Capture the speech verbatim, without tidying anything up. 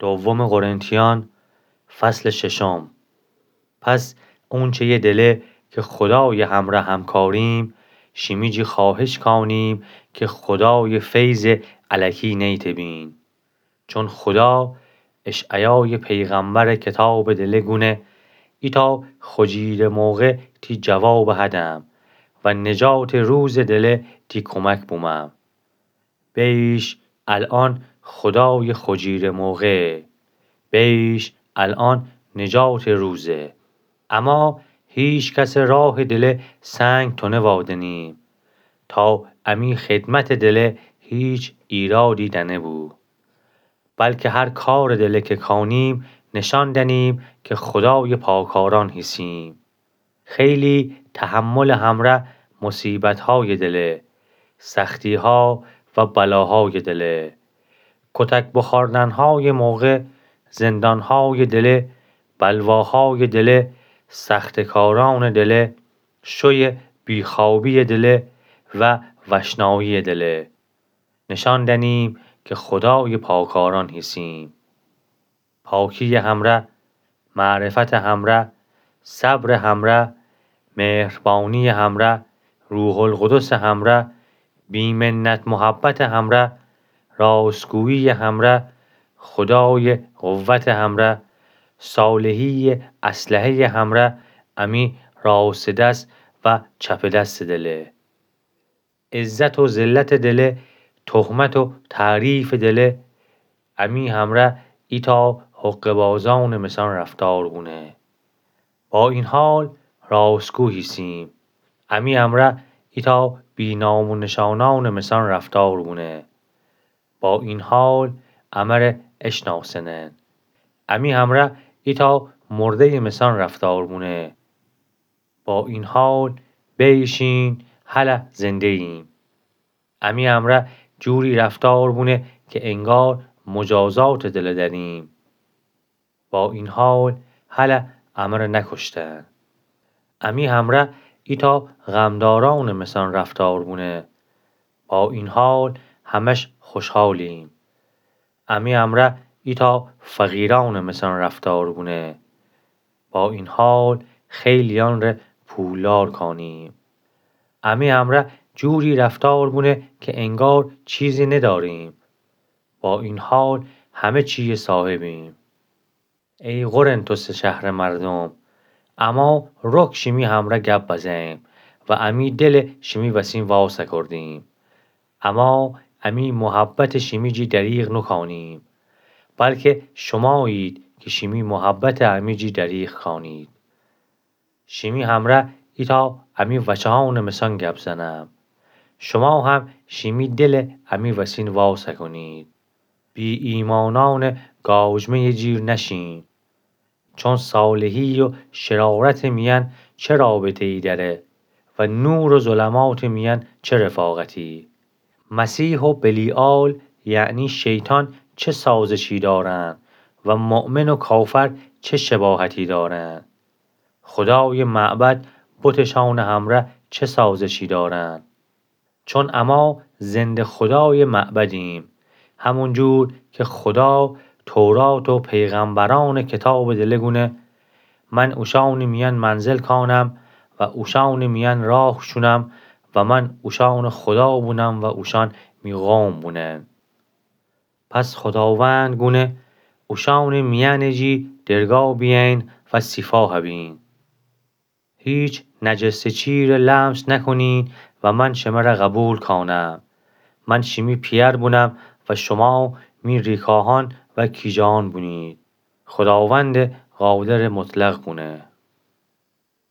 دوم قرنتیان، فصل ششم. پس اونچه‌یه دله که خدای همره همکاریم، شیمی جی خواهش کانیم که خدای فیض الکی نیتبین. چون خدا اشعیای پیغمبر کتاب دله گونه، ایتا خجیر موقع تی جواب هدم و نجات روز دله تی کمک بومم. بیش الان خدای خجیر موقع، بیش الان نجات روزه. اما هیچ کس راه دله سنگ تونه وادنیم، تا امی خدمت دله هیچ ایرادی دنه بو. بلکه هر کار دله که کانیم، نشان دنیم که خدای پاکاران هیسیم. خیلی تحمل همره مصیبت‌های دله، سختی‌ها و بلاهای دله، کتک بخوردن‌های موقع، زندان‌های دله، بلواهای دله، سختکاران دله، شوی بیخوابی دله و وشنایی دله. نشان دنیم که خدای پاکاران هیسیم. پاکی همره، معرفت همره، صبر همره، مهربانی همره، روح‌القدس همره، بی‌منت محبت همره، راستگویی همره، خدای قوت همره، صالحی اسلحهٔ همره، امی راست دست و چپ دست دله. عزت و ذلت دله، تهمت و تعریف دله، امی همره ایتا حقه‌بازان مثان رفتار بونه. با این حال راستگو هیسیم. امی همره ایتا بی‌نام و نشانان مثان رفتار بونه. با این حال امره اشناسنن. امی همره ایتا مردهٔ مثان رفتار بونه. با این حال بیشین هله زنده‌ایم. امی همره جوری رفتار بونه که انگار مجازات دله دأریم. با این حال هله امره نکشتن. امی همره ایتا غمداران مثان رفتار بونه. با این حال همش خوشحالیم. امی همره ایتا فقیران مثان رفتار بونه. با این حال خیلیان ره پولدار کانیم. امی همره جوری رفتار بونه که انگار چیزی نداریم. با این حال همه چی صاحبیم. ای قرنتس شهر مردم، اما رک شیمی همره گپ بزیم و امی دل شیمی وسین واز کردیم. اما امی محبت شیمی جی دریغ نکانیم، بلکه شمایید که شیمی محبت امی جی دریغ کانید. شیمی همره ایتا امی وچهان مثان گپ زنم. شما هم شیمی دل امی وسین واز کنید. بی‌ایمانان گاوجمهٔ جیر نشین. چون صالحی و شرارت میان چه رابطه‌ای دأره و نور و ظلمات میان چه رفاقتی؟ مسیح و بلیعال، یعنی شیطان، چه سازشی دارند و مؤمن و کافر چه شباهتی دارند؟ خدای معبد بتشان همره چه سازشی دارند؟ چون اما زنده خدای معبدیم، همون جور که خدا تورات و پیغمبران کتاب دله گونه، من اوشان میان منزل کانم و اوشان میان راه شونم و من اوشان خدا بونم و اوشان می قوم بونن. پس خداوند گونه اوشان میان جی درگا بیین و سیفاه بین. هیچ نجسه چیره لمس نکنین و من شمره قبول کانم. من شیمی پیئر بونم و شما می ریکاهان و کیجان بونید. خداوند قادر مطلق گونه.